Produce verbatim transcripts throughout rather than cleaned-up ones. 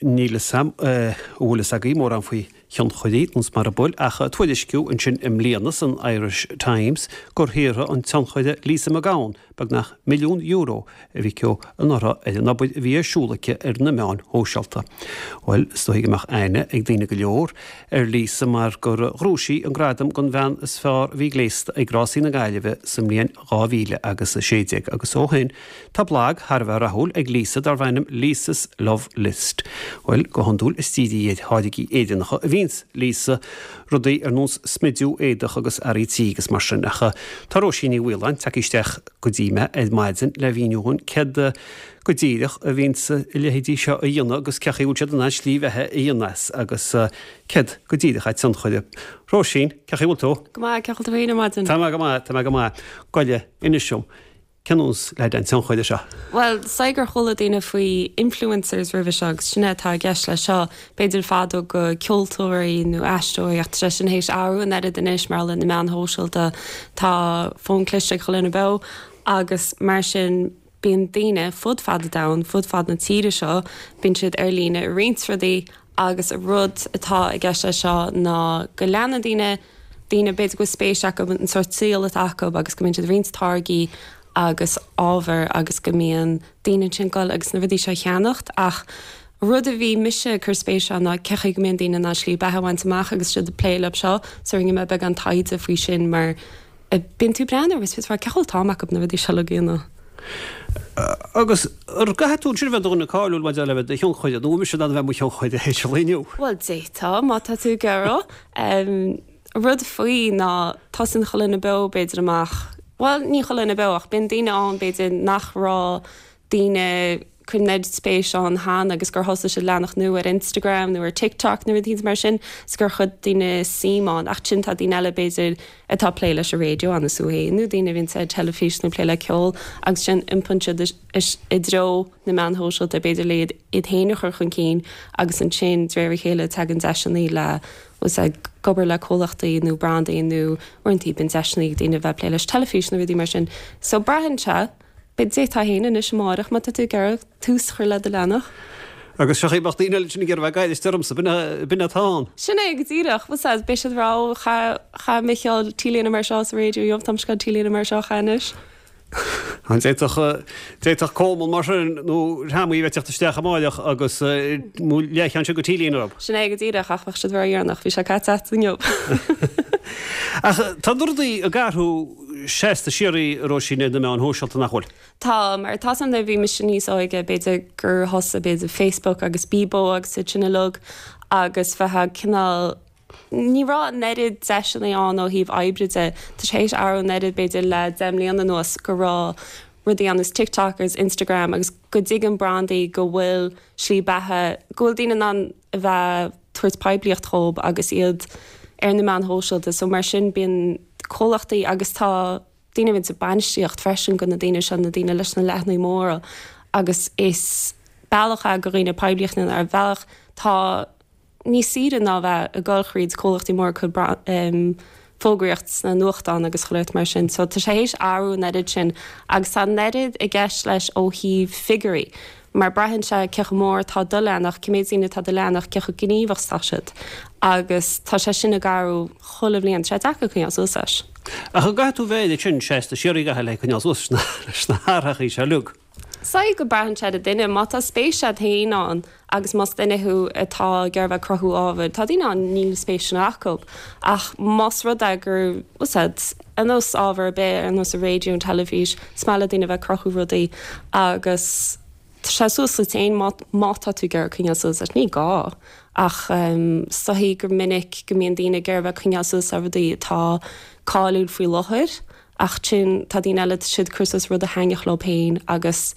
níl a fhios a'm an bhfuil fhios agaibh mórán faoi thionchairí nós mar a bhfuil ach tuairisciú ansin i mbliana san Irish Times gur shaothraigh an tionchaire Lisa McGowan beagnach milliún euro a bhí aici anuraidh ar an obair a bhí ar siúl aici ar na meáin shóisialta. Bhuel, is dóigh go mbeadh aithne ag daoine go leor ar Lisa mar gur ghnóthaigh sí an gradam don bhean is fearr a bhí gléasta ag Rásaí na Gaillimhe sa mbliain dhá mhíle agus a sé déag agus ó shin tá blag thar a bheith rathúil ag Lisa darb ainm Lisa's Love List. Bhuel, go hiondúil is dírithe ar tháirgí Éireannacha a bhíonns Lisa rudaí ar nós smidiú éadach agus earraí tí agus mar sin ach tá Róisín Ní Mhaoláin tagtha isteach go dtí mé ar maidin le mhíniú dhúinn céard go díreach a bhíonns a leithéidí seo a dhéanamh agus cén chaoi a bhfuil siad in ann slí bheatha a dhéanamh as agus céard go díreach é tionchaire. Róisín, cén chaoi a bhfuil tú? Go maith, cén chaoi a bhfuil tú féin ar maidin? Tá mé go maith, tá mé go maith. Goile, inis dom, cén nós le an tionchaire seo? Bhuel, is dóigh gur chuala daoine faoi influencers roimhe seo agus sin é atá i gceist leis seo. B'fhéidir fadó go ceoltóirí nó aisteoirí ach tá sé sin théis athrú an oiread anois mar le na meáin shóisialta tá fón cliste ag chuile dhuine beo agus mar sin bíonn daoine fud fad an domhain, fud fad na tíre seo, bíonn siad ar líne ag roinnt rudaí agus an rud atá i gceist leis seo ná go leanann daoine daoine b'fhéidir go bhfuil spéis acu an sórt saol atá acu agus go mbíonn siad ag roinnt táirgí agus ábhar agus go mbíonn daoine ansin ag dul agus na rudaí seo a cheannacht ach rud a bhí mise ag cur spéis ann ná cén chaoi go mbíonn daoine in ann slí beatha a bhaint amach agus siad ag plé leo seo so rinne mé beagán taighde faoi sin mar bíonn tú ag breathnú agus fios cén chaoi a bhfuil an t-am acu na rudaí seo a dhéanamh. Agus ar gcaithfidh tú ansin a bheith i do dhuine cáiliúil maidir le bheith i do thionchaire nó an mise in ann a bheith i mo thionchaire théis an lae inniu? Bhuel d'fhéadfá má tá tú ag iarraidh. Rud faoi ná tosaíonn chuile dhuine beo b'fhéidir amach, bhuel ní chuile dhuine beo ach bíonn daoine ann b'fhéidir nach raibh daoine ag cur an oiread spéis ann cheana agus gur thosaigh siad leathanach nua ar Instagram nó ar TikTok nó rudaí mar sin is gur chuir daoine suim ann ach ansin tá daoine eile b'fhéidir atá ag plé leis an raidió ar nós thú féin nó daoine a bhíonn ar teilifís nó ag plé le ceol agus ansin iompaíonn siad i dtreo na meáin shóisialta b'fhéidir le iad iad féin a chur chun cinn agus ansin de réir a chéile tagann deiseanna le bhfuil ag obair le comhlachtaí nó brandaí nó uaireanta bíonn deiseanna ag daoine a bheith ag plé leis teilifís nó rudaí mar sin. So braitheann sé D'fhéadfá féin anois amárach má tá tú ag iarraidh tús a chur le do leathanach. Agus seo bheadh daoine eile sin ag iarraidh bheith ag éisteacht ormsa, b'in atá ann. Sin é go díreach, bhfuil a fhios agat, beidh siad ag rá ó chaith Micheál T-léine mar seo sa raidió, inniu tá mise ag gabháil T-léine mar seo a chaitheamh anois. An d'fhéadfadh, d'fhéadfadh Coleman mar sin nó Ramaí a bheith ag teacht isteach amáireach agus mo leathcheann sin de T-léine orthu. Sin é go díreach ach bheadh siad ródheireanach, bhí sé caite agat inniu. Ach tá na rudaí ag athrú seasta síoraí, a Róisín, ar na meáin shóisialta, nach bhfuil? Tá, mar tá a fhios agam nuair a bhí mise níos óige b'fhéidir gur thosaigh b'fhéidir Facebook agus Bebo agus iad sin uilig agus bheith cineál Ní raibh an oiread deiseanna ann ó thaobh oibre de. Tá sé théis athrú an oiread b'fhéidir le deich mbliana anuas go raibh rudaí ar nós TikTok agus Instagram agus go dtuigeann brandaí go bhfuil slí beatha, go bhfuil daoine in ann a bheith tabhairt poiblíocht dhóibh agus iad ar na meáin shóisialta. So mar sin bíonn comhlachtaí agus tá daoine a bhíonn sa bainistíocht freisin go na daoine seo, na daoine leis na leathanaigh móra agus is bealach é go dhaoine poiblíocht a dhéanamh ar bhealach tá níos saoire ná bheith ag dul thríd comhlachtaí móra ag cur fógraíocht sna nuachtáin agus chuile shórt mar sin. So tá sé théis athrú an oiread sin agus tá an oiread i gceist leis ó thaobh figiúirí mar braitheann sé cé chomh mór atá do leathanach, cé méid daoine atá do leathanach, cé chomh gníomhach is atá siad agus tá sé sin ag athrú chuile bhliain. Tá sé deacair coinneáil suas leis. Ach an gcaithfidh tú bheith air sin seasta síoraí gach le coinneáil suas leis na hathrachaí seo uilig? Is dóigh go braitheann sé ar an duine. Má tá spéis agat féin ann agus más duine thú atá ag iarraidh bheith ag cruthú ábhair, tá daoine ann níl spéis sin acu. Ach más rud é gur, bhfuil a fhios agat, ar nós ábhar ar bith, ar nós an raidió, an teilifís, is maith le daoine a bheith ag cruthú rudaí agus tá sé suas duit féin má, má tá tú ag iarraidh coinneáil suas leis. Ní gá ach is dóigh gur minic go mbíonn daoine ag iarraidh bheith ag coinneáil suas le rudaí atá cáiliúil faoi láthair. Ach ansin tá daoine eile, tá siad ag cur suas rud a thaitneodh leo féin agus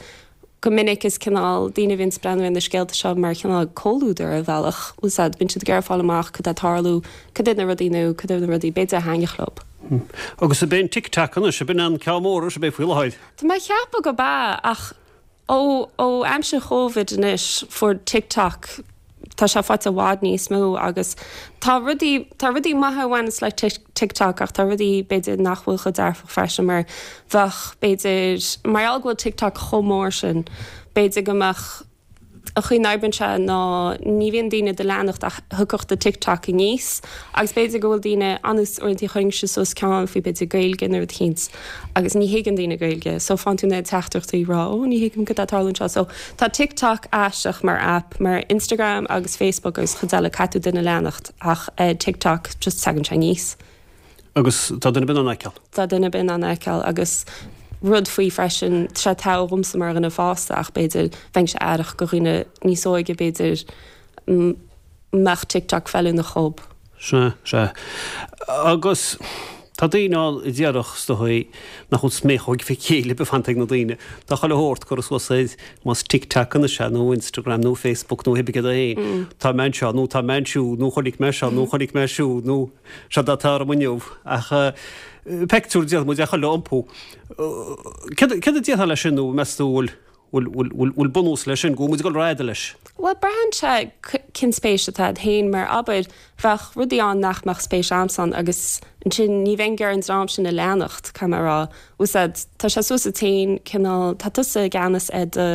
go minic is cineál daoine a bhíonn ag breathnú ar na scéalta seo mar chineál comhluadar ar bhealach, bhfuil a fhios agat, bíonn siad ag iarraidh fáil amach cad tá ag tarlú, cad iad na rudaí nua, cad iad na rudaí b'fhéidir a thaitneodh leo. Agus ab é an TikTok anois, ab in an ceann mór anois, ab é faoi láthair? Tá mé ag ceapadh go b'ea ach Ó ó aimsir Chóivid anois fuair TikTok, tá sé faighte i bhfad níos mó agus tá rudaí, tá rudaí maithe a bhaineas le TikTok ach tá rudaí b'fhéidir nach bhfuil chomh dearfach freisin mar bheadh b'fhéidir, mar gheall go bhfuil TikTok chomh mór sin, b'fhéidir go mbeadh An chaoi a n-oibríonn sé ná ní bhíonn daoine do leanacht ach thiocfadh do TikTok aníos agus b'fhéidir go bhfuil daoine anuas uaireanta chuirinnse suas ceann faoi b'fhéidir Gaeilge nó rud eicínt agus ní thuigeann daoine Gaeilge so faigheann tú na teachtaireachtaí ag rá ó ní thuigim cad tá ag tarlú anseo so tá TikTok aisteach mar app mar Instagram agus Facebook agus chuid eile caithfidh tú duine a leanacht ach eh, TikTok just tagann sé aníos. Agus tá duine ar bith in ann a fheiceáil. Tá duine ar bith in ann a fheiceáil agus rud faoi freisin, tá sé togha dhomsa mar dhuine fásta ach b'fhéidir bheinnse aireach go dhaoine níos óige b'fhéidir mbeadh TikTok feiliúnach dhób. Sea, sea. Agus tá daoine ann a déarfadh is dóigh nach bhfuil sméachóg fé chéile ar bith fanta ag na daoine. Tá chuile shórt curtha suas ar más TikTok anois é nó Instagram nó Facebook nó hibé cad é féin. Tá mé anseo nó tá mé ansiúd nó chonaic mé seo nó chonaic mé siúd nó seo atá orm inniu. Ach pictiúr déanann muid ar chuile iompú. Céard a déarfá leis sin nó meas tú bhfuil bhfuil bhfuil bunús leis sin go bhfuil muid ag dul rófhada leis? Bhuel, braitheann sé cén spéis atá agat féin mar abair bheadh rudaí ann nach mbeadh spéis a'msa ann agus ansin ní bheinn ag iarraidh an dream sin a leanacht, caithfidh mé a rá. Úsáid, tá sé suas duit féin cineál, tá tusa i gceannas ar do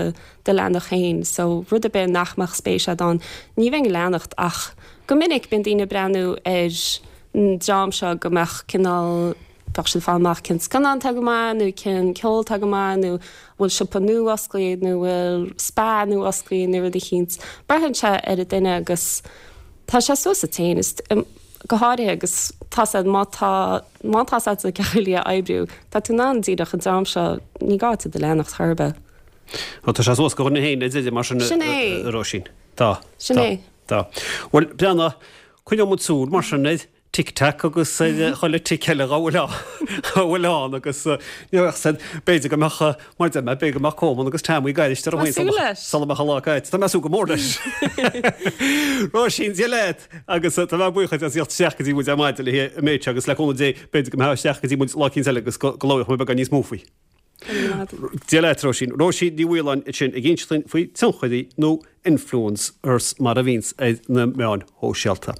do leathanach féin so rud ar bith nach mbeadh spéis a'd ann ní bheinn ag leanacht ach go minic bíonn daoine ag breathnú ar an dream seo go mbeadh cineál bheadh siad ag fáil amach cén scannán atá go maith nó cén ceol atá go maith nó bhfuil siopa nua osclaithe nó bhfuil spa nua osclaithe nó rud eicínt. Braitheann sé ar an duine agus tá sé suas duit féin is go háirithe agus tá sé má tá má tá sé sa gceallaí a oibriú tá tú in ann díreach an dream seo ní gá duit iad a leanacht chor ar bith. Ó tá sé suas do dhuine féin a deir mar sin Sin é. a Róisín. Tá. Sin Tá. é. Tá. Bhuel, breathnaigh, coinneoidh muid súil mar sin ar Tic Tac agus ar chuile tic eile dá bhfuil dá bhfuil ann agus ní bheadh said b'fhéidir go mbeadh mar deir mé b'fhéidir go mbeadh Coleman agus Tammy ag éisteacht ar an Tá súil leis. sula mbeadh an lá caite. Tá mé ag súil go mór leis. Róisín, Dia leat agus tá mé buíoch as theacht isteach go dtí muid ar maidin le an méid seo agus le cúnamh Dé b'fhéidir go mbeadh isteach go dtí muid lá eicínt eile agus go go labhróidh muid beagán níos mó faoi. Dia leat Róisín. Róisín Ní Mhaoláin ansin ag inse dúinn faoi tionchairí nó influencers mar a bhíonns ar na meáin shóisialta.